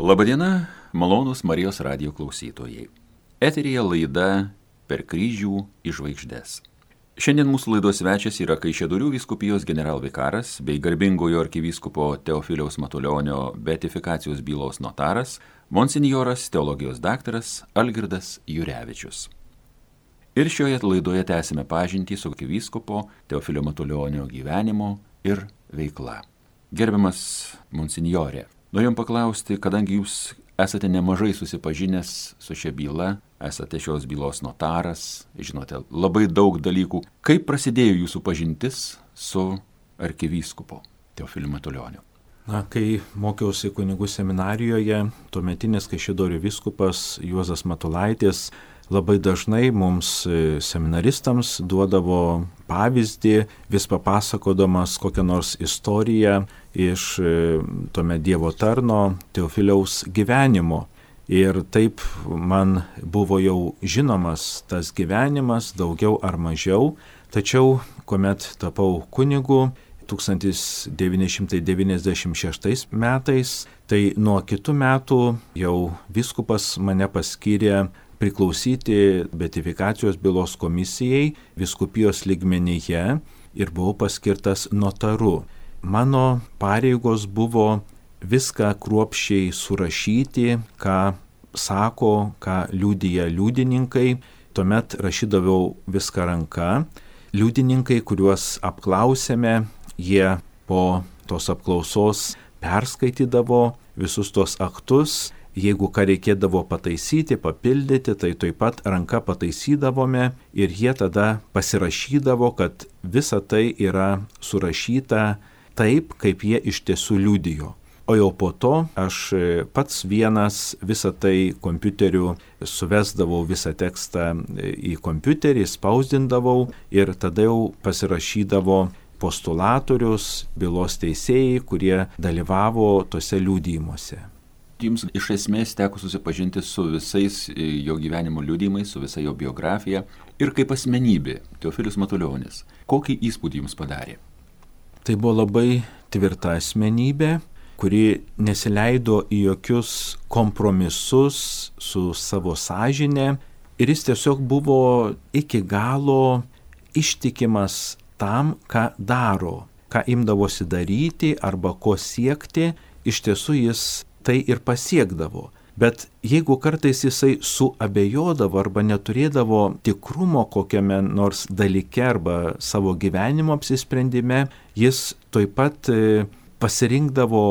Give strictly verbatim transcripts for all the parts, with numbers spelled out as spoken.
Labadiena, malonūs Marijos radijo klausytojai. Eteryje laida Per kryžių į žvaigždes. Šiandien mūsų laidos svečias yra Kaišiadorių vyskupijos generalvikaras bei garbingojo arkivyskupo Teofiliaus Matulionio beatifikacijos bylos notaras, monsinjoras teologijos daktaras Algirdas Jurevičius. Ir šioje laidoje tęsime pažintį su arkivyskupo Teofilio Matulionio gyvenimo ir veikla. Gerbiamas monsinjorė, norėjom paklausti, kadangi jūs esate nemažai susipažinęs su šia byla, esate šios bylos notaras, žinote labai daug dalykų. Kaip prasidėjo jūsų pažintis su arkivyskupu Teofiliu Matulioniu? Na, kai mokiausi kunigų seminarijoje, tuometinis Kaišiadorių vyskupas Juozas Matulaitis labai dažnai mums seminaristams duodavo pavyzdį, vis papasakodamas kokią nors istoriją iš tuomet Dievo tarno Teofiliaus gyvenimo. Ir taip man buvo jau žinomas tas gyvenimas, daugiau ar mažiau, tačiau kuomet tapau kunigu tūkstantis devyni šimtai devyniasdešimt šeštais metais, tai nuo kitų metų jau vyskupas mane paskyrė priklausyti beatifikacijos bylos komisijai vyskupijos lygmenyje ir buvau paskirtas notaru. Mano pareigos buvo viską kruopščiai surašyti, ką sako, ką liudija liudininkai. Tuomet rašydavau viską ranka. Liudininkai, kuriuos apklausėme, jie po tos apklausos perskaitydavo visus tos aktus. Jeigu ką reikėdavo pataisyti, papildyti, tai taip pat ranka pataisydavome ir jie tada pasirašydavo, kad visa tai yra surašyta taip, kaip jie iš tiesų liudijo. O jau po to aš pats vienas visą tai kompiuteriu suvesdavau visą tekstą į kompiuterį, spausdindavau ir tada jau pasirašydavo postulatorius, bylos teisėjai, kurie dalyvavo tose liudijimuose. Jums iš esmės teko susipažinti su visais jo gyvenimo liudijimais, su visa jo biografija ir kaip asmenybė Teofilius Matulionis. Kokį įspūdį jums padarė? Tai buvo labai tvirta asmenybė, kuri nesileido į jokius kompromisus su savo sąžine ir jis tiesiog buvo iki galo ištikimas tam, ką daro, ką imdavosi daryti arba ko siekti, iš tiesų jis tai ir pasiekdavo. Bet jeigu kartais jisai suabejodavo arba neturėdavo tikrumo kokiame nors dalyke arba savo gyvenimo apsisprendime, jis taip pat pasirinkdavo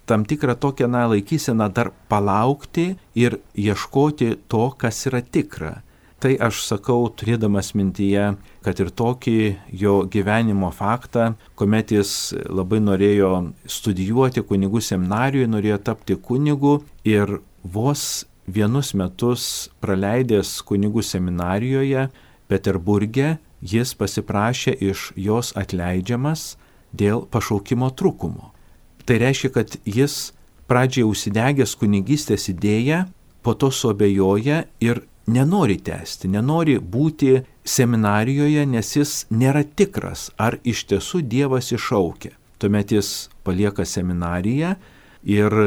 tam tikrą tokią na, laikyseną dar palaukti ir ieškoti to, kas yra tikra. Tai aš sakau, turėdamas mintyje, kad ir tokį jo gyvenimo faktą, kuomet jis labai norėjo studijuoti kunigų seminarijoje, norėjo tapti kunigu ir vos vienus metus praleidęs kunigų seminarijoje Peterburge, jis pasiprašė iš jos atleidžiamas dėl pašaukimo trūkumo. Tai reiškia, kad jis pradžiai užsidegęs kunigystės idėją, po to suabejoja ir nenori tęsti, nenori būti seminarijoje, nes jis nėra tikras, ar iš tiesų Dievas iššaukia. Tuomet jis palieka seminariją ir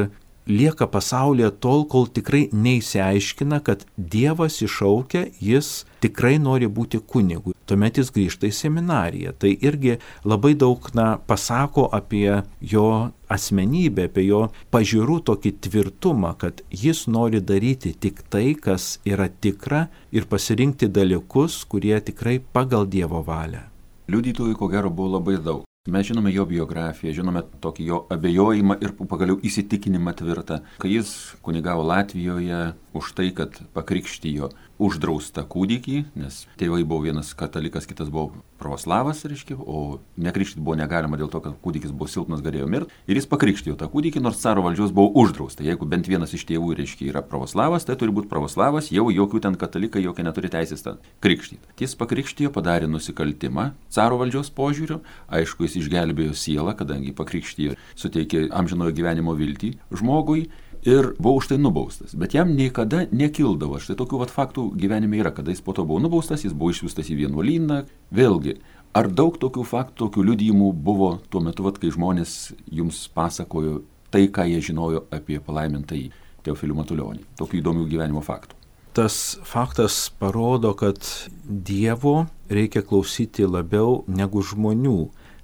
lieka pasaulyje tol, kol tikrai neįsiaiškina, kad Dievas iššaukia, jis tikrai nori būti kunigu. Tuomet jis grįžta į seminariją. Tai irgi labai daug na, pasako apie jo asmenybę, apie jo pažiūrų tokį tvirtumą, kad jis nori daryti tik tai, kas yra tikra ir pasirinkti dalykus, kurie tikrai pagal Dievo valią. Liudytojų ko gero buvo labai daug. Mes žinome jo biografiją, žinome tokį jo abejojimą ir pagaliau įsitikinimą tvirtą, kai jis kunigavo Latvijoje už tai, kad pakrikštijo uždraustą kūdikį, nes tėvai buvo vienas katalikas, kitas buvo pravoslavas, reiškia, o nekrikštyti buvo negalima dėl to, kad kūdikis buvo silpnas, galėjo mirti. Ir jis pakrikštijo tą kūdikį, nors caro valdžios buvo uždrausta. Jeigu bent vienas iš tėvų, reiškia, yra pravoslavas, tai turi būti pravoslavas, jau jokių ten katalikai, jokie neturi teisės tą krikštyti. Jis pakrikštijo, padarė nusikaltimą caro valdžios požiūriu, aišku, jis išgelbėjo sielą, kadangi pakrikštijo, suteikė amžinojo gyvenimo viltį žmogui. Ir buvo už tai nubaustas, bet jam niekada nekildavo. Štai tokių vat faktų gyvenime yra, kada jis po to buvo nubaustas, jis buvo išsiųstas į vienuolyną. Vėlgi, ar daug tokių faktų, tokių liudijimų buvo tuo metu, vat, kai žmonės jums pasakojo tai, ką jie žinojo apie palaimintąjį Teofilių Matulionį. Tokių įdomių gyvenimo faktų. Tas faktas parodo, kad Dievo reikia klausyti labiau negu žmonių.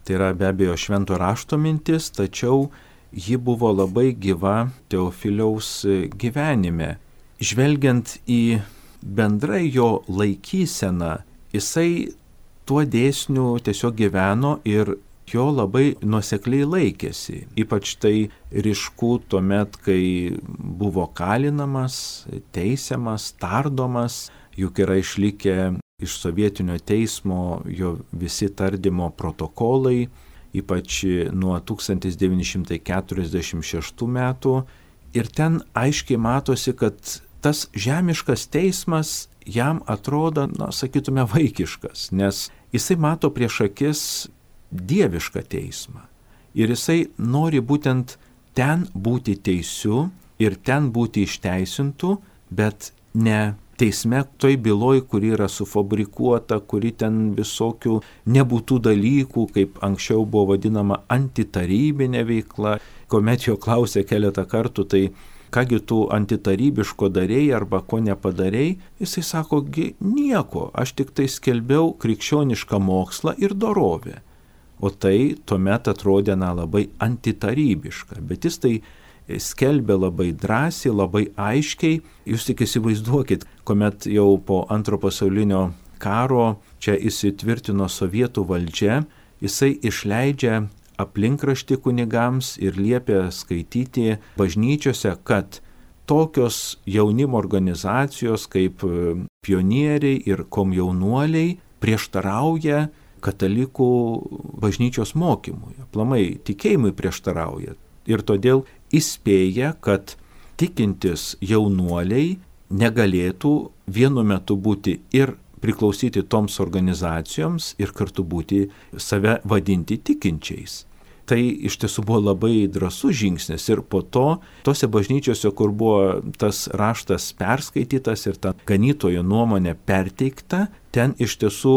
Tai yra be abejo švento rašto mintis, tačiau ji buvo labai gyva Teofiliaus gyvenime. Žvelgiant į bendrai jo laikyseną, jisai tuo dėsniu tiesiog gyveno ir jo labai nuosekliai laikėsi. Ypač tai ryšku tuomet, kai buvo kalinamas, teisiamas, tardomas, juk yra išlikę iš sovietinio teismo jo visi tardymo protokolai, ypač nuo tūkstantis devyni šimtai keturiasdešimt šeštų metų. Ir ten aiškiai matosi, kad tas žemiškas teismas jam atrodo, na, sakytume, vaikiškas, nes jisai mato prieš akis dievišką teismą. Ir jisai nori būtent ten būti teisiu ir ten būti išteisintų, bet ne teisme toj byloj, kuri yra sufabrikuota, kuri ten visokių nebūtų dalykų, kaip anksčiau buvo vadinama antitarybinė veikla. Kuomet jo klausė keletą kartų, tai kągi tu antitarybiško darėjai arba ko nepadarėjai, jisai sako, gi nieko, aš tik tai skelbiau krikščionišką mokslą ir dorovę. O tai tuomet atrodė na, labai antitarybiška, bet jis tai skelbė labai drąsiai, labai aiškiai. Jūs tik įsivaizduokit, kuomet jau po antro pasaulinio karo čia įsitvirtino sovietų valdžia, jisai išleidžia aplinkraštį kunigams ir liepia skaityti bažnyčiose, kad tokios jaunimo organizacijos kaip pionieriai ir komjaunuoliai prieštarauja katalikų bažnyčios mokymui, aplamai tikėjimui prieštarauja. Ir todėl įspėja, kad tikintis jaunuoliai negalėtų vienu metu būti ir priklausyti toms organizacijoms ir kartu būti save vadinti tikinčiais. Tai iš tiesų buvo labai drąsus žingsnis ir po to, tose bažnyčiose, kur buvo tas raštas perskaitytas ir ta ganytojo nuomonė perteikta, ten iš tiesų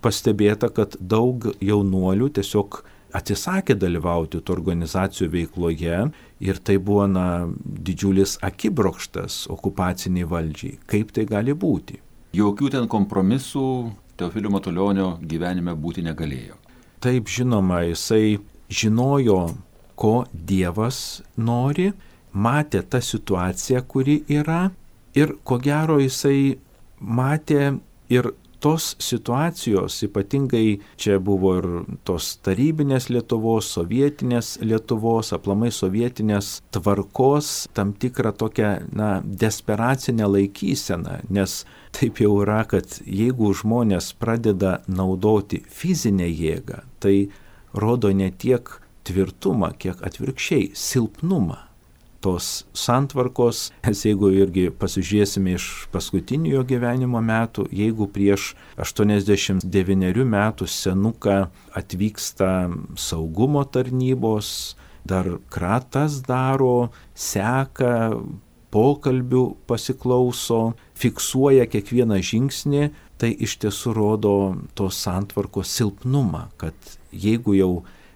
pastebėta, kad daug jaunuolių tiesiog atsisakė dalyvauti tų organizacijų veikloje ir tai buvo na, didžiulis akibrokštas okupaciniai valdžiai. Kaip tai gali būti? Jokių ten kompromisų Teofilio Matulionio gyvenime būti negalėjo. Taip, žinoma, jisai žinojo, ko Dievas nori, matė tą situaciją, kuri yra ir ko gero jisai matė ir tos situacijos, ypatingai čia buvo ir tos tarybinės Lietuvos, sovietinės Lietuvos, aplamai sovietinės tvarkos, tam tikrą tokią, na, desperacinę laikyseną, nes taip jau yra, kad jeigu žmonės pradeda naudoti fizinę jėgą, tai rodo ne tiek tvirtumą, kiek atvirkščiai silpnumą tos santvarkos. Nes jeigu irgi pasižiūrėsime iš paskutinių jo gyvenimo metų, jeigu prieš aštuoniasdešimt devynerių metų senuką atvyksta saugumo tarnybos, dar kratas daro, seka, pokalbių pasiklauso, fiksuoja kiekvieną žingsnį, tai iš tiesų rodo tos santvarkos silpnumą, kad jeigu jau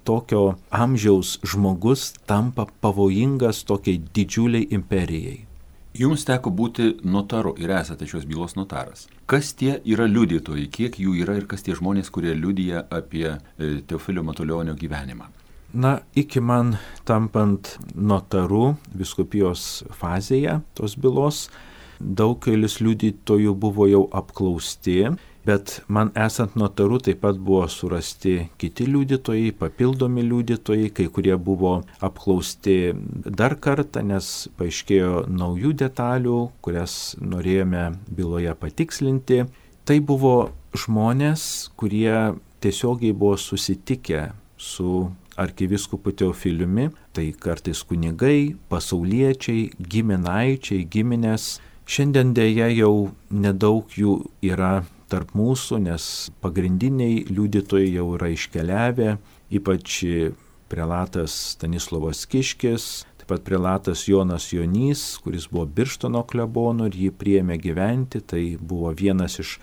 tokio amžiaus žmogus tampa pavojingas tokiai didžiuliai imperijai. Jums teko būti notaru ir esate šios bylos notaras. Kas tie yra liudytojai, kiek jų yra ir kas tie žmonės, kurie liudija apie Teofilio Matulionio gyvenimą? Na, iki man tampant notaru vyskupijos fazėje tos bylos, daugelis liudytojų buvo jau apklausti, bet man esant notaru taip pat buvo surasti kiti liudytojai, papildomi liudytojai, kai kurie buvo apklausti dar kartą, nes paaiškėjo naujų detalių, kurias norėjome byloje patikslinti. Tai buvo žmonės, kurie tiesiogiai buvo susitikę su arkivyskupu Teofiliumi, tai kartais kunigai, pasauliečiai, giminaičiai, giminės. Šiandien dėja jau nedaug jų yra tarp mūsų, nes pagrindiniai liudytojai jau yra iškeliavę, ypač prelatas Stanislovas Kiškis, taip pat prelatas Jonas Jonys, kuris buvo Birštono klebonu ir jį priėmė gyventi, tai buvo vienas iš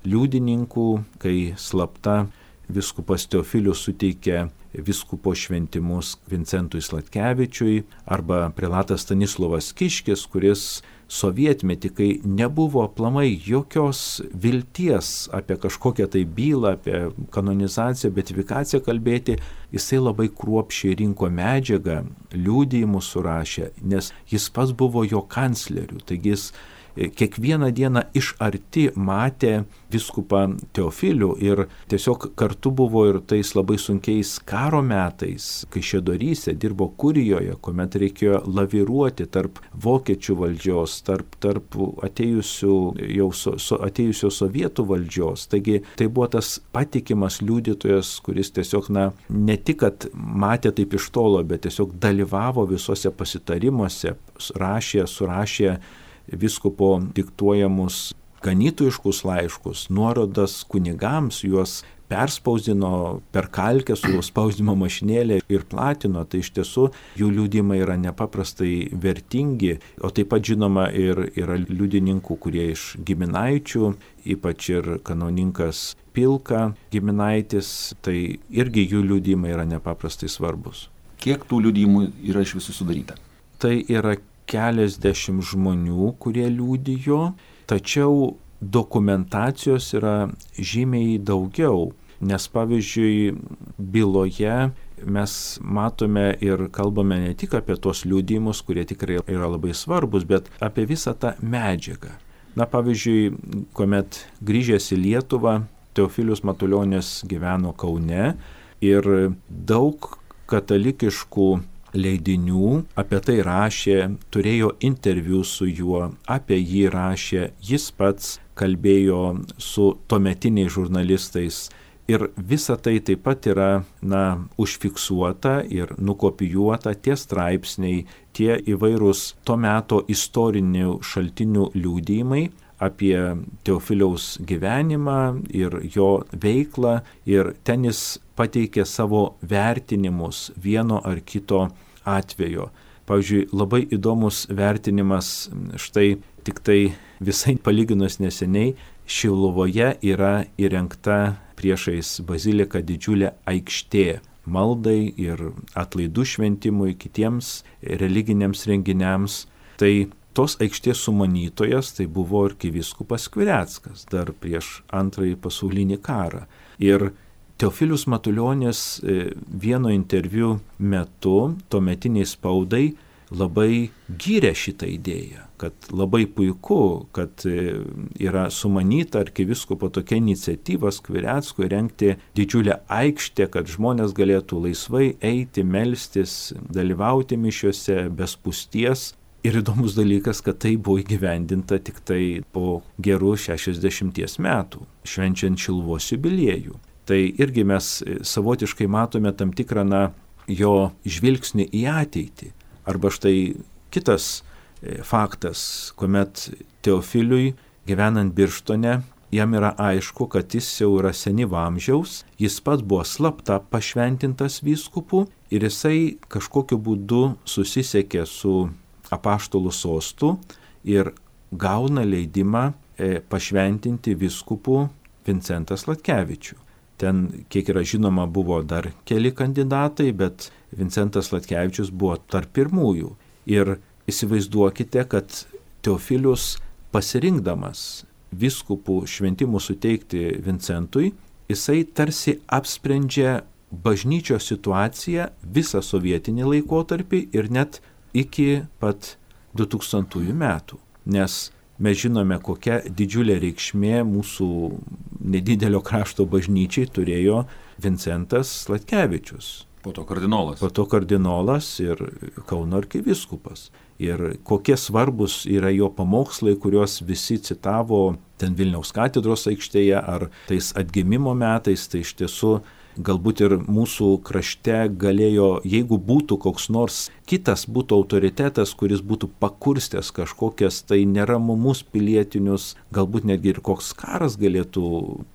liudininkų, kai slapta viskupas Teofilius suteikė viskupo šventimus Vincentui Sladkevičiui, arba prelatas Stanislovas Kiškis, kuris sovietmetį, kai nebuvo aplamai jokios vilties apie kažkokią tai bylą, apie kanonizaciją, beatifikaciją kalbėti, jisai labai kruopščiai rinko medžiagą, liudijimus surašė, nes jis pats buvo jo kancleriu, taigi jis kiekvieną dieną iš arti matė viskupą Teofilių ir tiesiog kartu buvo ir tais labai sunkiais karo metais, kai Šedoryse dirbo kurijoje, kuomet reikėjo laviruoti tarp vokiečių valdžios, tarp, tarp atėjusių, jau so, so, atėjusio sovietų valdžios. Taigi tai buvo tas patikimas liudytojas, kuris tiesiog, na, ne tik, kad matė taip iš tolo, bet tiesiog dalyvavo visose pasitarimuose, rašė, surašė viskupo diktuojamus ganytojiškus laiškus, nuorodas kunigams, juos perspausdino per kalkę su spausdimo mašinėlė ir platino, tai iš tiesų jų liudijimai yra nepaprastai vertingi, o taip pat žinoma ir yra liudininkų, kurie iš giminaičių, ypač ir kanauninkas Pilka giminaitis, tai irgi jų liudijimai yra nepaprastai svarbus. Kiek tų liudijimų yra iš visų sudaryta? Tai yra keliasdešimt žmonių, kurie liudijo, tačiau dokumentacijos yra žymiai daugiau, nes pavyzdžiui byloje mes matome ir kalbame ne tik apie tos liudijimus, kurie tikrai yra labai svarbus, bet apie visą tą medžiagą. Na pavyzdžiui, kuomet grįžęs į Lietuvą, Teofilius Matulionis gyveno Kaune ir daug katalikiškų leidinių apie tai rašė, turėjo interviu su juo, apie jį rašė, jis pats kalbėjo su tuometiniais žurnalistais ir visa tai taip pat yra, na, užfiksuota ir nukopijuota, tie straipsniai, tie įvairūs to meto istorinių šaltinių liudijimai apie Teofiliaus gyvenimą ir jo veiklą, ir ten jis pateikė savo vertinimus vieno ar kito atvejo. Pavyzdžiui, labai įdomus vertinimas, štai tik tai visai palyginus neseniai, Šiluvoje yra įrengta priešais baziliką didžiulė aikštė maldai ir atlaidų šventimui, kitiems religiniams renginiams. Tai tos aikštės sumanytojas tai buvo arkivyskupas Skvireckas dar prieš antrąjį pasaulinį karą. Ir Teofilius Matulionis vieno interviu metu tuometiniai spaudai labai gyrė šitą idėją, kad labai puiku, kad yra sumanyta arkivyskupo tokia iniciatyva Skvireckui rengti didžiulę aikštę, kad žmonės galėtų laisvai eiti, melstis, dalyvauti mišiuose be spūsties. Ir įdomus dalykas, kad tai buvo įgyvendinta tik tai po gerų šešiasdešimties metų, švenčiant Šiluvos jubiliejų. Tai irgi mes savotiškai matome tam tikrą, na, jo žvilgsnį į ateitį. Arba štai kitas faktas, kuomet Teofiliui gyvenant Birštone, jam yra aišku, kad jis jau yra senyvo amžiaus, jis pats buvo slapta pašventintas vyskupu ir jisai kažkokiu būdu susisiekė su apaštalų sostu ir gauna leidimą pašventinti vyskupu Vincentą Sladkevičių. Ten, kiek yra žinoma, buvo dar keli kandidatai, bet Vincentas Sladkevičius buvo tarp pirmųjų. Ir įsivaizduokite, kad Teofilius pasirinkdamas vyskupų šventimų suteikti Vincentui, jisai tarsi apsprendžia bažnyčios situaciją visą sovietinį laikotarpį ir net iki pat du tūkstantųjų metų. Nes mes žinome, kokia didžiulė reikšmė mūsų nedidelio krašto bažnyčiai turėjo Vincentas Sladkevičius. Po to kardinolas. Po to kardinolas ir Kauno arkivyskupas. Ir kokie svarbus yra jo pamokslai, kuriuos visi citavo ten Vilniaus katedros aikštėje ar tais atgimimo metais, tai iš tiesų galbūt ir mūsų krašte galėjo, jeigu būtų koks nors kitas būtų autoritetas, kuris būtų pakurstęs kažkokias tai neramumus pilietinius, galbūt netgi ir koks karas galėtų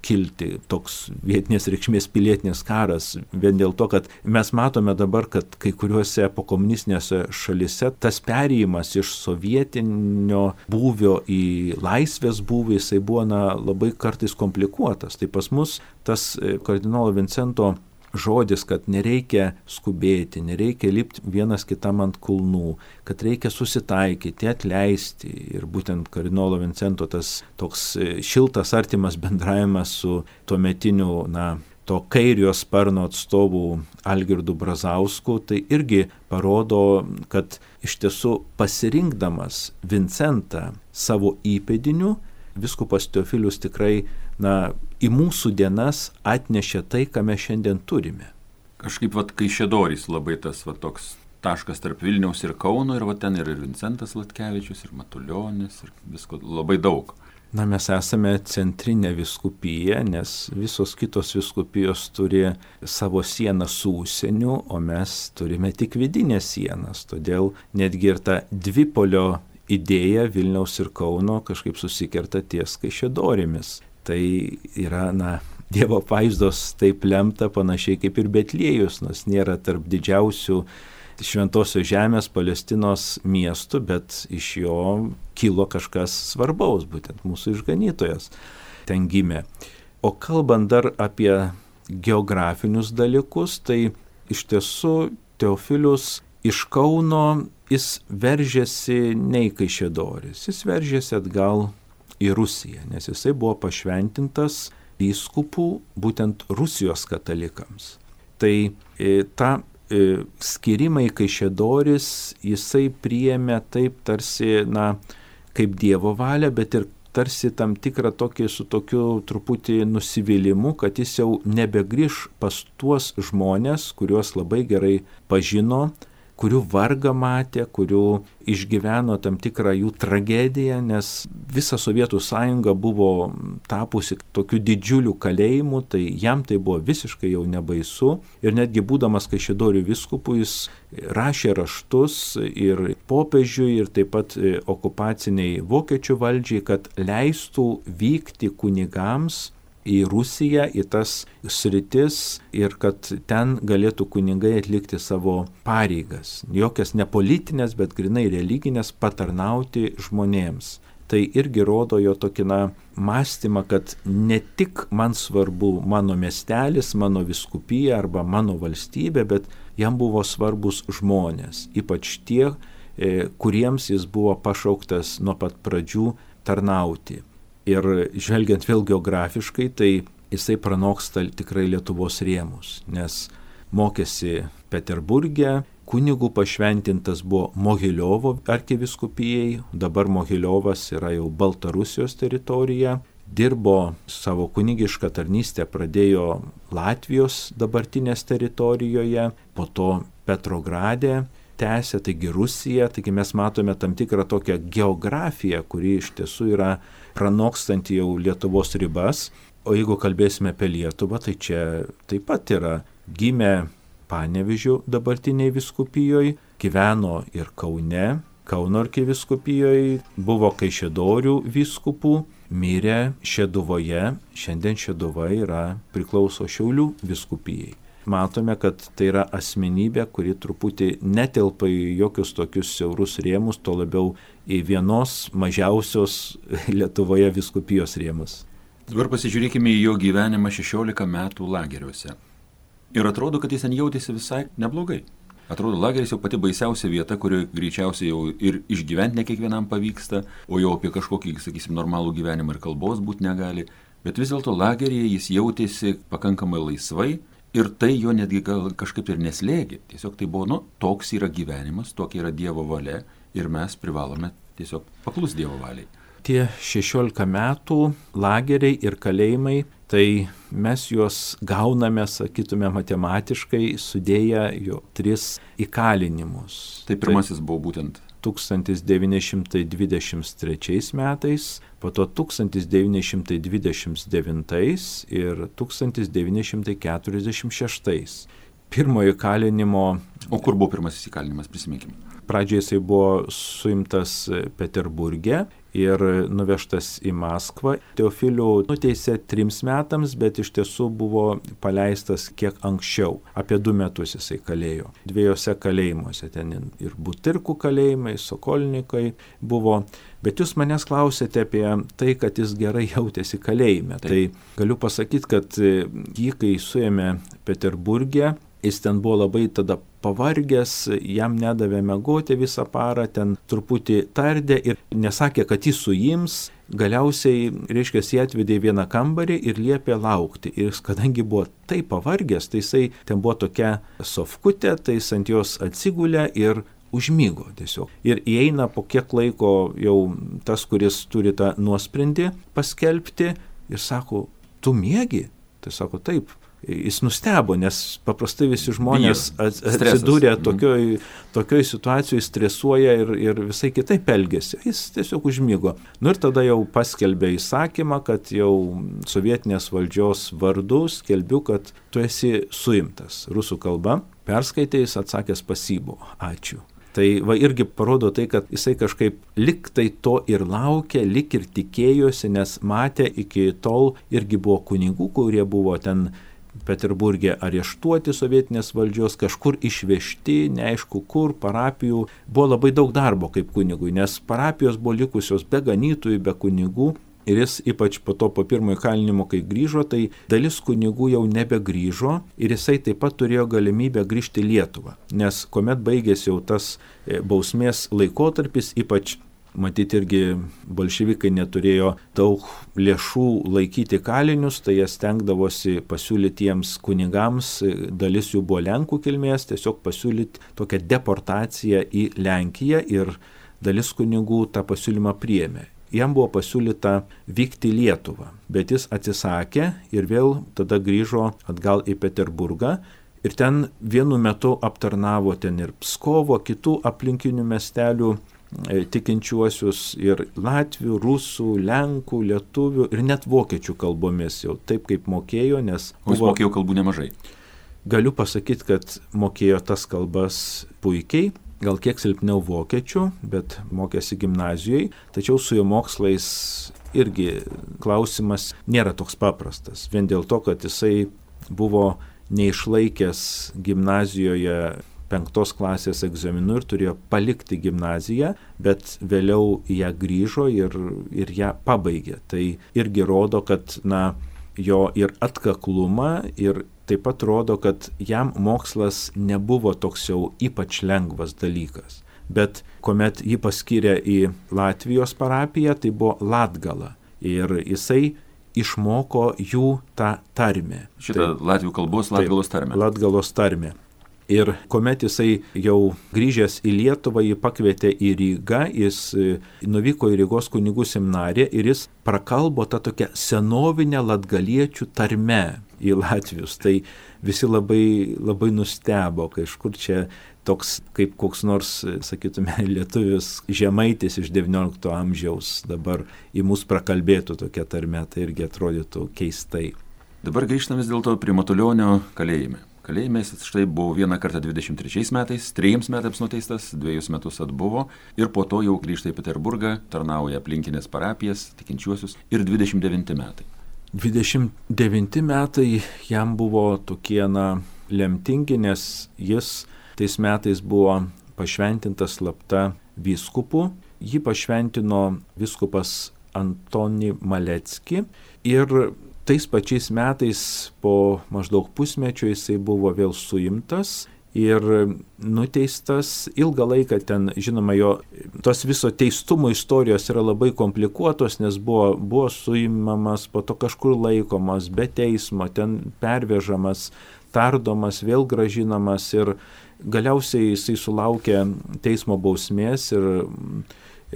kilti, toks vietinės reikšmės pilietinis karas, vien dėl to, kad mes matome dabar, kad kai kuriuose pokomunistinėse šalise tas perėjimas iš sovietinio būvio į laisvės būvį, jisai buvo na, labai kartais komplikuotas. Tai pas mus tas kardinolo Vincento žodis, kad nereikia skubėti, nereikia lipti vienas kitam ant kulnų, kad reikia susitaikyti, atleisti. Ir būtent kardinolo Vincento tas toks šiltas, artimas bendravimas su tuometiniu, na, to kairio sparno atstovų Algirdu Brazausku, tai irgi parodo, kad iš tiesų pasirinkdamas Vincentą savo įpėdiniu, vyskupas Teofilius tikrai, na, į mūsų dienas atnešė tai, ką mes šiandien turime. Kažkaip vat Kaišiadorys labai tas vat toks taškas tarp Vilniaus ir Kauno, ir vat ten ir Vincentas Latkevičius, ir Matulionis, ir visko labai daug. Na, mes esame centrinė vyskupija, nes visos kitos vyskupijos turi savo sieną su užsieniu, o mes turime tik vidinės sienas. Todėl netgi ir ta dvipolio idėja Vilniaus ir Kauno kažkaip susikerta ties Kaišiadorėmis. Tai yra, na, Dievo apvaizdos taip lemta panašiai kaip ir Betliejus, nors nėra tarp didžiausių Šventosios žemės Palestinos miestų, bet iš jo kilo kažkas svarbaus, būtent mūsų išganytojas ten gimė. O kalbant dar apie geografinius dalykus, tai iš tiesų Teofilius iš Kauno jis veržėsi ne į Kaišiadoris, jis veržėsi atgal į Rusiją, nes jisai buvo pašventintas vyskupų būtent Rusijos katalikams. Tai e, tą e, skirimą į Kaišiadoris jisai priėmė taip tarsi, na, kaip Dievo valia, bet ir tarsi tam tikrą tokį su tokiu truputį nusivylimu, kad jis jau nebegrįž pas tuos žmonės, kuriuos labai gerai pažino, kurių vargą matė, kurių išgyveno tam tikrą jų tragediją, nes visa Sovietų sąjunga buvo tapusi tokiu didžiuliu kalėjimu, tai jam tai buvo visiškai jau nebaisu. Ir netgi būdamas Kaišiadorių vyskupu, jis rašė raštus ir popiežiui, ir taip pat okupaciniai vokiečių valdžiai, kad leistų vykti kunigams į Rusiją, į tas sritis ir kad ten galėtų kunigai atlikti savo pareigas. Jokias ne politinės, bet grinai religinės, patarnauti žmonėms. Tai irgi rodo jo tokį, na, mąstymą, kad ne tik man svarbu mano miestelis, mano vyskupija arba mano valstybė, bet jam buvo svarbus žmonės, ypač tie, kuriems jis buvo pašauktas nuo pat pradžių tarnauti. Ir žvelgiant vėl geografiškai, tai jisai pranoksta tikrai Lietuvos rėmus, nes mokėsi Peterburge, kunigų pašventintas buvo Mogiliovo arkivyskupijai, dabar Mogiliovas yra jau Baltarusijos teritorija, dirbo savo kunigišką tarnystę, pradėjo Latvijos dabartinės teritorijoje, po to Petrograde tęsė, taigi Rusija, taigi mes matome tam tikrą tokią geografiją, kuri iš tiesų yra pranokstanti jau Lietuvos ribas. O jeigu kalbėsime apie Lietuvą, tai čia taip pat yra gimė Panevėžio dabartiniai vyskupijoje, gyveno ir Kaune, Kauno arkivyskupijoj, buvo Kaišiadorių vyskupų, mirė Šeduvoje, šiandien Šeduva yra priklauso Šiaulių vyskupijai. Matome, kad tai yra asmenybė, kuri truputį netelpa į jokius tokius siaurus rėmus, to labiau į vienos mažiausios Lietuvoje vyskupijos rėmus. Dabar pasižiūrėkime į jo gyvenimą šešiolika metų lageriuose. Ir atrodo, kad jis ten jautėsi visai neblogai. Atrodo, lageris jau pati baisiausia vieta, kurioje greičiausiai jau ir išgyventi ne kiekvienam pavyksta, o jau apie kažkokį, sakysim, normalų gyvenimą ir kalbos būti negali. Bet vis dėlto lageryje jis jautėsi pakankamai laisvai. Ir tai jo netgi gal kažkaip ir neslėgė. Tiesiog tai buvo, nu, toks yra gyvenimas, tokia yra Dievo valia ir mes privalome tiesiog paklus Dievo valiai. Tie šešiolika metų lageriai ir kalėjimai, tai mes juos gauname, sakytume, matematiškai sudėję jo tris įkalinimus. Tai pirmasis tai buvo būtent tūkstantis devyni šimtai dvidešimt trečiais metais, po to tūkstantis devyni šimtai dvidešimt devintais ir tūkstantis devyni šimtai keturiasdešimt šeštais. pirmojo įkalinimo. O kur buvo pirmasis įkalinimas, prisiminkime? Pradžioje jisai buvo suimtas Peterburge ir nuvežtas į Maskvą. Teofilių nuteisė trims metams, bet iš tiesų buvo paleistas kiek anksčiau. Apie du metus jisai kalėjo. Dviejose kalėjimuose, ten ir Butirkų kalėjimai, Sokolnikai buvo. Bet jūs manęs klausėte apie tai, kad jis gerai jautėsi kalėjime. Taip. Tai galiu pasakyti, kad jį, kai suėmė Peterburge, jis ten buvo labai tada pavargęs, jam nedavė miegoti visą parą, ten truputį tardė ir nesakė, kad jis suims. Galiausiai, reiškia, jį atvedė į vieną kambarį ir liepė laukti. Ir kadangi buvo taip pavargęs, tai jisai ten buvo tokia sofkutė, tai jis ant jos atsigulė ir užmygo tiesiog. Ir įeina po kiek laiko jau tas, kuris turi tą nuosprendį paskelbti ir sako, tu miegi? Tai sako, taip. Jis nustebo, nes paprastai visi žmonės atsidūrė tokioj, tokioj situacijoje, stresuoja ir, ir visai kitaip elgėsi. Jis tiesiog užmygo. Nu ir tada jau paskelbė įsakymą, kad jau sovietinės valdžios vardu skelbiu, kad tu esi suimtas. Rusų kalba perskaitė, jis atsakė spasibo. Ačiū. Tai va irgi parodo tai, kad jisai kažkaip lik tai to ir laukė, lik ir tikėjosi, nes matė iki tol irgi buvo kunigų, kurie buvo ten Peterburge areštuoti sovietinės valdžios, kažkur išvežti, neaišku kur, parapijų. Buvo labai daug darbo kaip kunigui, nes parapijos buvo likusios be ganytojų, be kunigų. Ir jis ypač po to po pirmojo įkalinimo, kai grįžo, tai dalis kunigų jau nebegrįžo ir jisai taip pat turėjo galimybę grįžti į Lietuvą. Nes kuomet baigėsi jau tas bausmės laikotarpis, ypač matyti irgi bolševikai neturėjo daug lėšų laikyti kalinius, tai jie stengdavosi pasiūlyti jiems kunigams, dalis jų buvo Lenkų kilmės, tiesiog pasiūlyti tokią deportaciją į Lenkiją ir dalis kunigų tą pasiūlymą priėmė. Jam buvo pasiūlyta vykti į Lietuvą, bet jis atsisakė ir vėl tada grįžo atgal į Peterburgą ir ten vienu metu aptarnavo ten ir Pskovo, kitų aplinkinių miestelių tikinčiuosius ir latvių, rusų, lenkų, lietuvių ir net vokiečių kalbomis jau taip kaip mokėjo, nes... O jis mokėjo kalbų nemažai? Galiu pasakyti, kad mokėjo tas kalbas puikiai, gal kiek silpniau vokiečių, bet mokėsi gimnazijoje, tačiau su jo mokslais irgi klausimas nėra toks paprastas, vien dėl to, kad jisai buvo neišlaikęs gimnazijoje penktos klasės egzaminų ir turėjo palikti gimnaziją, bet vėliau ją grįžo ir, ir ją pabaigė. Tai irgi rodo, kad na, jo ir atkaklumą ir taip pat rodo, kad jam mokslas nebuvo toks jau ypač lengvas dalykas. Bet kuomet jį paskyrė į Latvijos parapiją, tai buvo Latgala ir jisai išmoko jų tą tarmę. Šitą tai, latvių kalbos Latgalos tarmę. Latgalos tarmę. Ir kuomet jisai jau grįžęs į Lietuvą, jį pakvietė į Rygą, jis nuvyko į Rygos kunigų seminariją ir jis prakalbo tą tokią senovinę latgaliečių tarmę į latvius. Tai visi labai, labai nustebo, kažkur čia toks kaip koks nors, sakytume, lietuvis žemaitis iš devyniolikto amžiaus dabar į mus prakalbėtų tokia tarmė, tai irgi atrodytų keistai. Dabar grįžtame vis dėlto prie Matulionio kalėjime. Kalėjime jis štai buvo vieną kartą dvidešimt trečiais metais, trejiems metams nuteistas, dviejus metus atbuvo ir po to jau grįžta į Peterburgą, tarnauja aplinkinės parapijas, tikinčiuosius ir dvidešimt devinti metai. dvidešimt devinti metai jam buvo tokie, na, lemtingi, nes jis tais metais buvo pašventintas slapta vyskupu. Jį pašventino vyskupas Antoni Malecki ir tais pačiais metais po maždaug pusmečio jisai buvo vėl suimtas ir nuteistas. Ilgą laiką ten, žinoma, jo tos viso teistumo istorijos yra labai komplikuotos, nes buvo, buvo suimamas, po to kažkur laikomas, be teismo, ten pervežamas, tardomas, vėl gražinamas ir galiausiai jisai sulaukė teismo bausmės ir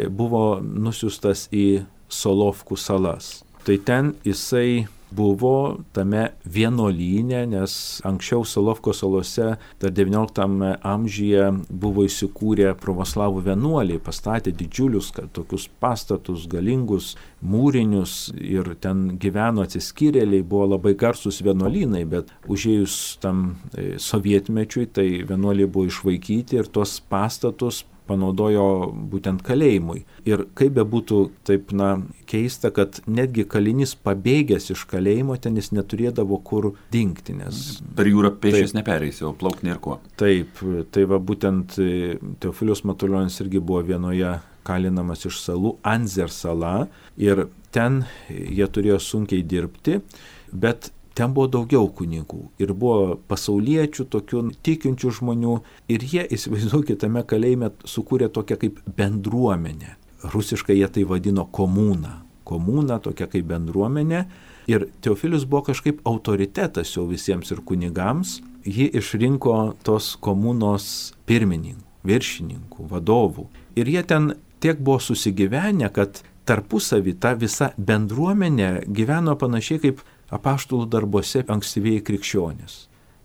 buvo nusiųstas į Solovkų salas. Tai ten jisai buvo tame vienuolyne, nes anksčiau Solovkų salose dar devynioliktame amžiuje buvo įsikūrę pravoslavų vienuoliai, pastatė didžiulius tokius pastatus, galingus mūrinius ir ten gyveno atsiskyrėliai, buvo labai garsus vienuolynai, bet užėjus tam sovietmečiui, tai vienuoliai buvo išvaikyti ir tuos pastatus panaudojo būtent kalėjimui. Ir kaip be būtų taip, na, keista, kad netgi kalinys pabėgęs iš kalėjimo, ten jis neturėdavo kur dingti, nes... Per jūrą pėsčias nepereisi, o plaukti nėr kuo. Taip, tai va būtent Teofilius Matulionis irgi buvo vienoje kalinamas iš salų, Anzer sala, ir ten jie turėjo sunkiai dirbti, bet ten buvo daugiau kunigų ir buvo pasauliečių, tokių tikinčių žmonių ir jie, įsivaizduokite, tame kalėjime sukūrė tokią kaip bendruomenę. Rusiškai jie tai vadino komūną. Komūna tokia kaip bendruomenė ir Teofilius buvo kažkaip autoritetas jau visiems ir kunigams. Ji išrinko tos komūnos pirmininkų, viršininkų, vadovų. Ir jie ten tiek buvo susigyvenę, kad tarpusavį ta visa bendruomenė gyveno panašiai kaip apaštalų darbuose ankstyvieji krikščionys.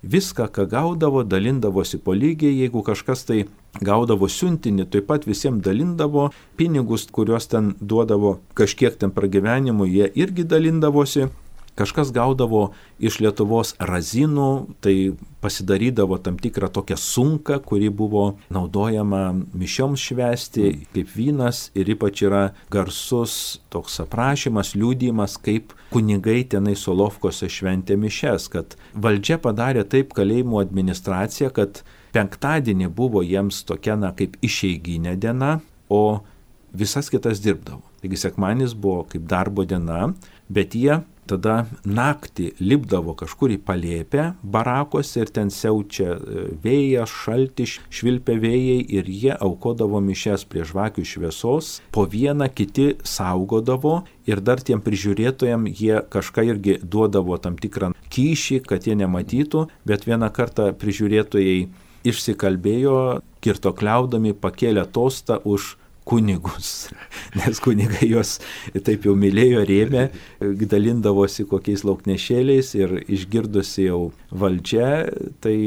Viską, ką gaudavo, dalindavosi po lygiai, jeigu kažkas tai gaudavo siuntinį, taip pat visiems dalindavo pinigus, kuriuos ten duodavo kažkiek ten pragyvenimui, jie irgi dalindavosi. Kažkas gaudavo iš Lietuvos razinų, tai pasidarydavo tam tikrą tokią sunką, kuri buvo naudojama mišioms švęsti, kaip vynas, ir ypač yra garsus toks aprašymas, liudijimas, kaip kunigai tenai Solovkose šventė mišes, kad valdžia padarė taip kalėjimų administracija, kad penktadienį buvo jiems tokia, na, kaip išeiginė diena, o visas kitas dirbdavo. Taigi sekmadienis buvo kaip darbo diena, bet jie tada naktį lipdavo kažkur į palėpę barakose ir ten siaučia vėjas, šaltis, švilpia vėjai ir jie aukodavo mišes prie žvakių šviesos, po vieną kiti saugodavo ir dar tiem prižiūrėtojam jie kažką irgi duodavo tam tikrą kyšį, kad jie nematytų, bet vieną kartą prižiūrėtojai išsikalbėjo, kirtokliaudami pakėlė tostą už kunigus, nes kunigai juos taip jau mylėjo, rėmė, dalindavosi kokiais lauknešėliais ir išgirdusi jau valdžia, tai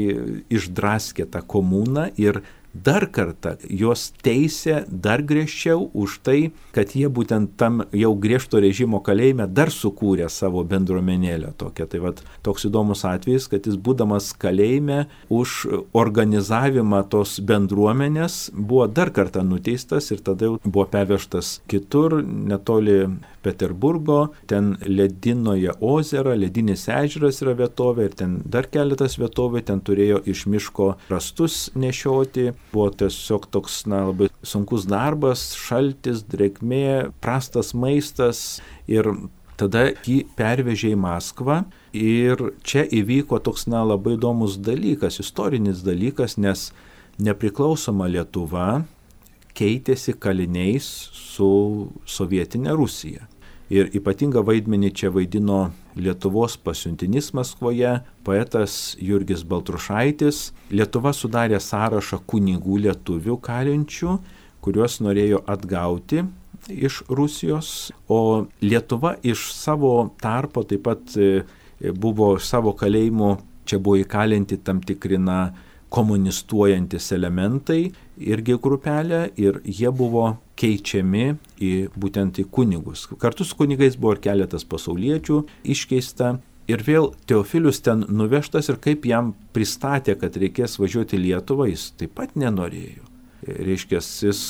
išdraskė tą komūną ir dar kartą juos teisė dar griežčiau už tai, kad jie būtent tam jau griežto režimo kalėjime dar sukūrė savo bendruomenėlę tokią. Tai vat toks įdomus atvejis, kad jis būdamas kalėjime už organizavimą tos bendruomenės buvo dar kartą nuteistas ir tada jau buvo pervežtas kitur, netoli Peterburgo, ten Ledinoje ozera, Ledinis ežeras yra vietovė ir ten dar keletas vietovė, ten turėjo iš miško rastus nešioti. Buvo tiesiog toks, na, labai sunkus darbas, šaltis, drėgmė, prastas maistas ir tada jį pervežė į Maskvą ir čia įvyko toks, na, labai įdomus dalykas, istorinis dalykas, nes nepriklausoma Lietuva keitėsi kaliniais su sovietinė Rusija. Ir ypatingą vaidmenį čia vaidino Lietuvos pasiuntinys Maskvoje, poetas Jurgis Baltrušaitis. Lietuva sudarė sąrašą kunigų lietuvių kalinčių, kuriuos norėjo atgauti iš Rusijos, o Lietuva iš savo tarpo taip pat buvo savo kalėjimų, čia buvo įkalinti tam tikrina komunistuojantis elementai, irgi grupelė, ir jie buvo keičiami į būtent į kunigus. Kartu su kunigais buvo ir keletas pasauliečių iškeista. Ir vėl Teofilius ten nuvežtas ir kaip jam pristatė, kad reikės važiuoti į Lietuvą, jis taip pat nenorėjo. Reiškia, jis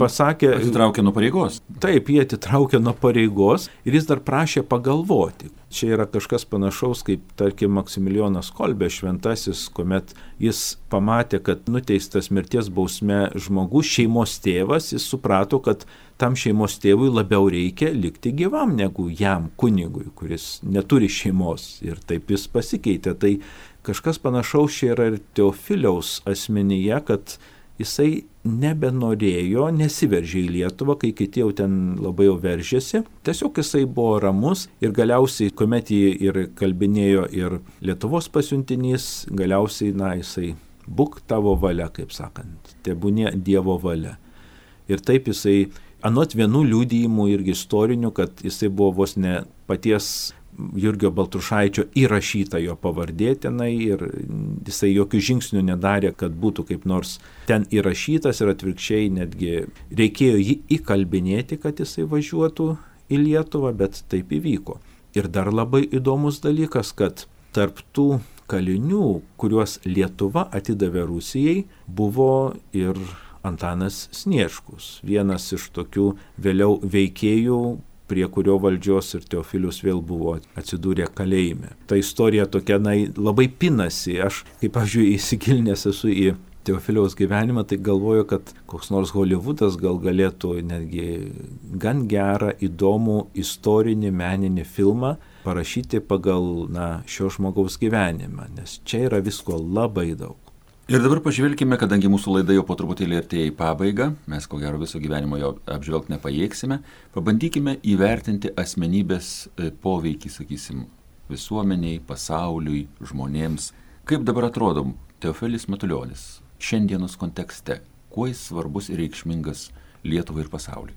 pasakė... Atitraukė nuo pareigos. Taip, jie atitraukė nuo pareigos ir jis dar prašė pagalvoti. Čia yra kažkas panašaus, kaip, tarkim, Maksimilijonas Kolbė šventasis, kuomet jis pamatė, kad nuteistas mirties bausme žmogus, šeimos tėvas, jis suprato, kad tam šeimos tėvui labiau reikia likti gyvam negu jam, kunigui, kuris neturi šeimos. Ir taip jis pasikeitė. Tai kažkas panašaus čia yra ir Teofiliaus asmenyje, kad jisai nebenorėjo, nesiveržė į Lietuvą, kai kiti jau ten labai jau veržėsi. Tiesiog jisai buvo ramus ir galiausiai, kuomet jį ir kalbinėjo ir Lietuvos pasiuntinys, galiausiai, na, jisai būk tavo valia, kaip sakant, tebūnie Dievo valia. Ir taip jisai, anot vienų liudijimų irgi istorinių, kad jisai buvo vos ne paties Jurgio Baltrušaičio įrašyta jo pavardė tenai ir jisai jokių žingsnių nedarė, kad būtų kaip nors ten įrašytas ir atvirkščiai netgi reikėjo jį įkalbinėti, kad jisai važiuotų į Lietuvą, bet taip įvyko. Ir dar labai įdomus dalykas, kad tarp tų kalinių, kuriuos Lietuva atidavė Rusijai, buvo ir Antanas Sniečkus, vienas iš tokių vėliau veikėjų, prie kurio valdžios ir Teofilius vėl buvo atsidūrę kalėjime. Ta istorija tokia na, labai pinasi. Aš, kaip pavyzdžiui, įsigilinęs esu į Teofiliaus gyvenimą, tai galvoju, kad koks nors Hollywoodas gal galėtų netgi gan gerą, įdomų istorinį, meninį filmą parašyti pagal na, šio žmogaus gyvenimą, nes čia yra visko labai daug. Ir dabar pažvelkime, kadangi mūsų laida jau po truputėlį artėja į pabaigą, mes ko gero viso gyvenimo jo apžvelgti nepajėgsime, pabandykime įvertinti asmenybės poveikį, sakysim, visuomeniai, pasauliui, žmonėms. Kaip dabar atrodo Teofilis Matulionis šiandienos kontekste? Kuo jis svarbus ir reikšmingas Lietuvai ir pasauliui?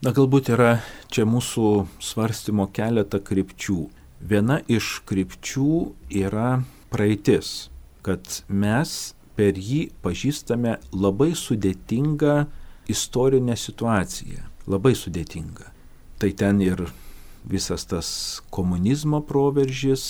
Na, galbūt yra čia mūsų svarstymo keletą krypčių. Viena iš krypčių yra praeitis, kad mes per jį pažįstame labai sudėtingą istorinę situaciją. Labai sudėtingą. Tai ten ir visas tas komunizmo proveržis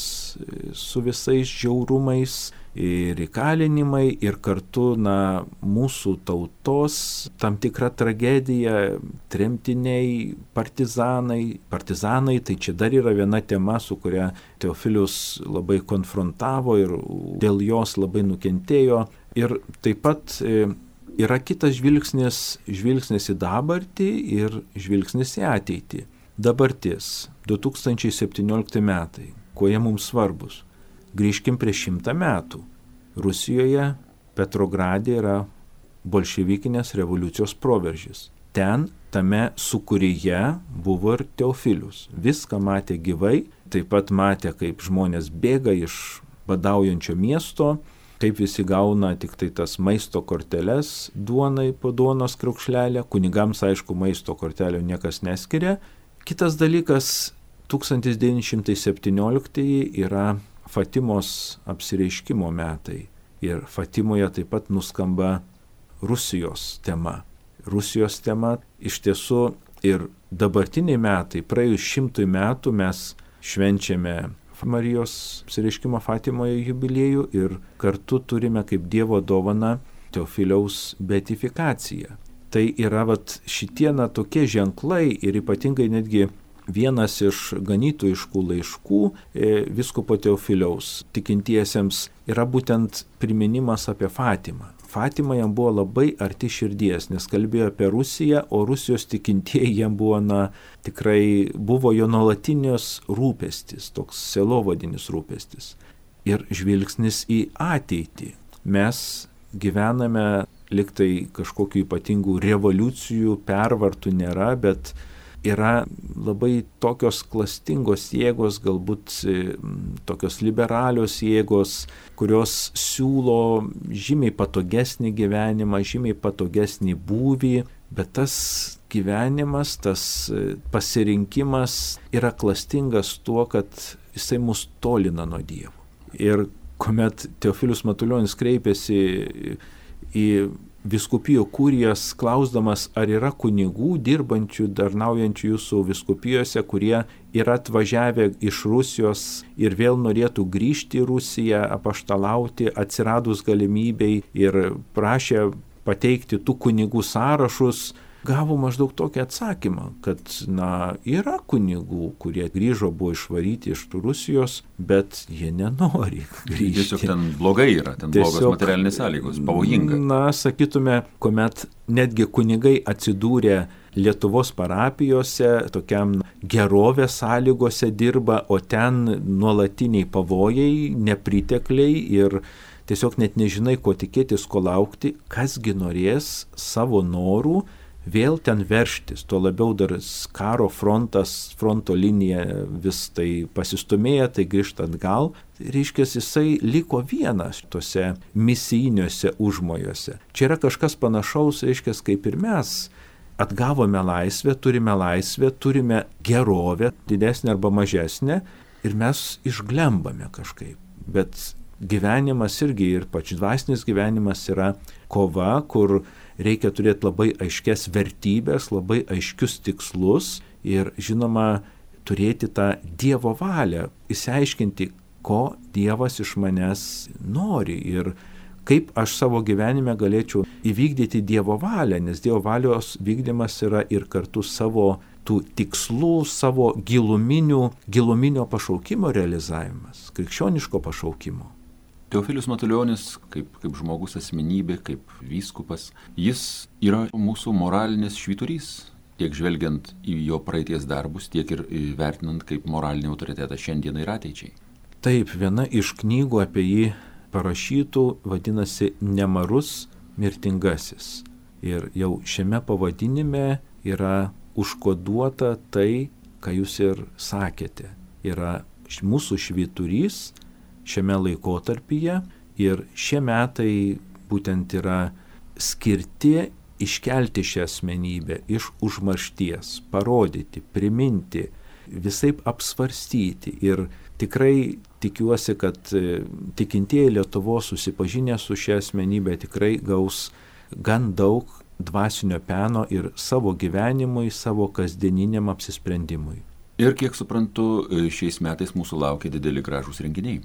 su visais žiaurumais ir įkalinimai ir kartu na, mūsų tautos tam tikra tragedija, tremtiniai, partizanai. Partizanai tai čia dar yra viena tema, su kuria Teofilius labai konfrontavo ir dėl jos labai nukentėjo. Ir taip pat yra kitas žvilgsnis, žvilgsnis į dabartį ir žvilgsnis į ateitį. Dabartis, du tūkstančiai septyniolikti metai, kuo jie mums svarbus? Grįžkim prieš šimtą metų. Rusijoje, Petrograde yra bolševikinės revoliucijos proveržis. Ten, tame sūkuryje buvo ir Teofilius. Viską matė gyvai, taip pat matė, kaip žmonės bėga iš badaujančio miesto, kaip visi gauna tik tai tas maisto korteles duonai po duonos kriaukšlelę. Kunigams, aišku, maisto kortelio niekas neskiria. Kitas dalykas, tūkstantis devyni šimtai septynioliktieji yra Fatimos apsireiškimo metai. Ir Fatimoje taip pat nuskamba Rusijos tema. Rusijos tema iš tiesų ir dabartiniai metai, praėjus šimtui metų mes švenčiame Marijos apsireiškimo Fatimoje jubiliejų ir kartu turime kaip Dievo dovaną Teofiliaus beatifikaciją. Tai yra vat, šitie na, tokie ženklai ir ypatingai netgi vienas iš ganytojiškų laiškų e, vyskupo Teofiliaus tikintiesiems yra būtent priminimas apie Fatimą. Fatima jam buvo labai arti širdies, nes kalbėjo apie Rusiją, o Rusijos tikintieji jam buvo, na, tikrai buvo jo nuolatinis rūpestis, toks sielovadinis rūpestis. Ir žvilgsnis į ateitį. Mes gyvename liktai kažkokių ypatingų revoliucijų, pervartų nėra, bet yra labai tokios klastingos jėgos, galbūt tokios liberalios jėgos, kurios siūlo žymiai patogesnį gyvenimą, žymiai patogesnį būvį, bet tas gyvenimas, tas pasirinkimas yra klastingas tuo, kad jisai mus tolina nuo Dievo. Ir kuomet Teofilius Matulionis kreipėsi į vyskupijų kurijas, klausdamas, ar yra kunigų dirbančių, darnaujančių jūsų vyskupijose, kurie yra atvažiavę iš Rusijos ir vėl norėtų grįžti į Rusiją, apaštalauti, atsiradus galimybei ir prašė pateikti tų kunigų sąrašus, gavo maždaug tokį atsakymą, kad na, yra kunigų, kurie grįžo, buvo išvaryti iš Rusijos, bet jie nenori grįžti. Tiesiog ten blogai yra, ten Tiesiog, blogos materialinės sąlygos, pavojinga. Na, sakytume, kuomet netgi kunigai atsidūrė Lietuvos parapijose, tokiam gerovės sąlygose dirba, o ten nuolatiniai pavojai, nepritekliai ir tiesiog net nežinai, ko tikėtis, ko laukti, kasgi norės savo norų vėl ten verštis, tuo labiau dar karo frontas, fronto linija vis tai pasistumėja, tai grįžta atgal. Reiškia, jisai liko vienas tose misijiniuose užmojuose. Čia yra kažkas panašaus, reiškia, kaip ir mes. atgavome laisvę, turime laisvę, turime gerovę, didesnę arba mažesnę, ir mes išglembame kažkaip. Bet gyvenimas irgi, ir pač dvasinis gyvenimas yra kova, kur reikia turėti labai aiškias vertybės, labai aiškius tikslus ir, žinoma, turėti tą Dievo valią, išsiaiškinti, ko Dievas iš manęs nori ir kaip aš savo gyvenime galėčiau įvykdyti Dievo valią, nes Dievo valios vykdymas yra ir kartu savo tų tikslų, savo giluminių, giluminio pašaukimo realizavimas, krikščioniško pašaukimo. Teofilius Matulionis, kaip, kaip žmogus asmenybė, kaip vyskupas, jis yra mūsų moralinis švyturys, tiek žvelgiant į jo praeities darbus, tiek ir vertinant kaip moralinį autoritetą šiandieną ir ateičiai. Taip, viena iš knygų apie jį parašytų vadinasi Nemarus mirtingasis. Ir jau šiame pavadinime yra užkoduota tai, ką jūs ir sakėte. Yra mūsų švyturys šiame laikotarpyje ir šie metai būtent yra skirti iškelti šią asmenybę iš užmaršties, parodyti, priminti, visaip apsvarstyti. Ir tikrai tikiuosi, kad tikintieji Lietuvos susipažinę su šia asmenybė tikrai gaus gan daug dvasinio peno ir savo gyvenimui, savo kasdieniniam apsisprendimui. Ir kiek suprantu, šiais metais mūsų laukia dideli gražūs renginiai.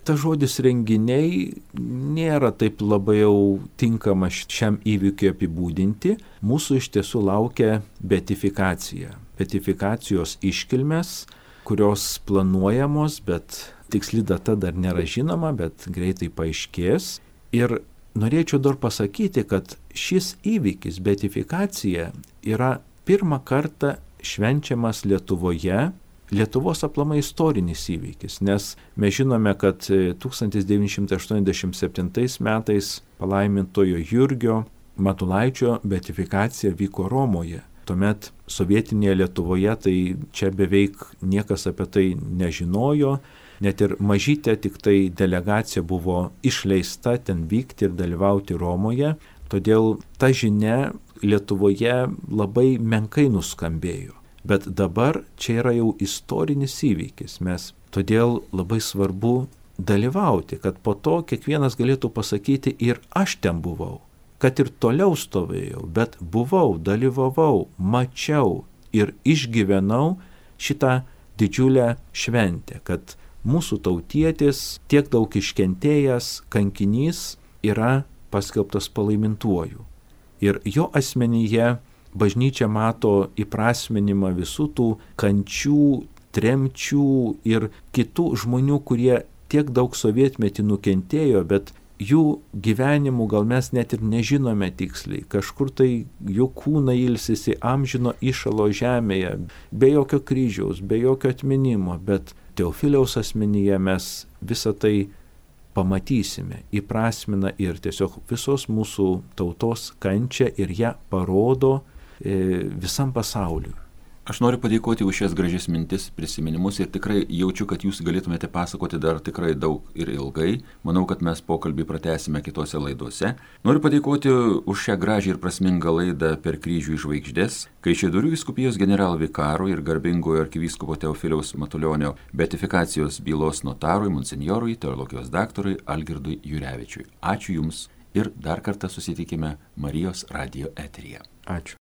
Ta žodis renginiai nėra taip labai jau tinkama šiam įvykiui apibūdinti. Mūsų iš tiesų laukia beatifikacija. Beatifikacijos iškilmės, kurios planuojamos, bet tiksli data dar nėra žinoma, bet greitai paaiškės. Ir norėčiau dar pasakyti, kad šis įvykis, beatifikacija, yra pirmą kartą švenčiamas Lietuvoje, Lietuvos aplamai istorinis įvykis, nes mes žinome, kad tūkstantis devyni šimtai aštuoniasdešimt septintais metais palaimintojo Jurgio Matulaičio beatifikacija vyko Romoje. Tuomet sovietinėje Lietuvoje tai čia beveik niekas apie tai nežinojo, net ir mažytė tik tai delegacija buvo išleista ten vykti ir dalyvauti Romoje, todėl ta žinia Lietuvoje labai menkai nuskambėjo. Bet dabar čia yra jau istorinis įvykis, mes todėl labai svarbu dalyvauti, kad po to kiekvienas galėtų pasakyti ir aš ten buvau, kad ir toliau stovėjau, bet buvau, dalyvavau, mačiau ir išgyvenau šitą didžiulę šventę, kad mūsų tautietis, tiek daug iškentėjęs kankinys yra paskelbtas palaimintuoju. Ir jo asmenyje bažnyčia mato įprasminimą visų tų kančių, tremčių ir kitų žmonių, kurie tiek daug sovietmetį nukentėjo, bet jų gyvenimų gal mes net ir nežinome tiksliai. Kažkur tai jų kūnai ilsisi amžino įšalo žemėje, be jokio kryžiaus, be jokio atminimo, bet Teofiliaus asmenyje mes visą tai pamatysime, įprasmina ir tiesiog visos mūsų tautos kančią ir ją parodo visam pasauliu. Aš noriu padėkoti už šias gražias mintis, prisiminimus ir tikrai jaučiu, kad jūs galėtumėte pasakoti dar tikrai daug ir ilgai. Manau, kad mes pokalbį pratęsime kitose laidose. Noriu padėkoti už šią gražią ir prasmingą laidą Per kryžių į žvaigždės, Kaišiadorių vyskupijos generalvikaro ir garbingojo arkivyskupo Teofiliaus Matulionio beatifikacijos bylos notarui, monsinjorui, teologijos daktarui Algirdui Jurevičiui. Ačiū Jums ir dar kartą susitikime Marijos radijo eteryje. Ačiū.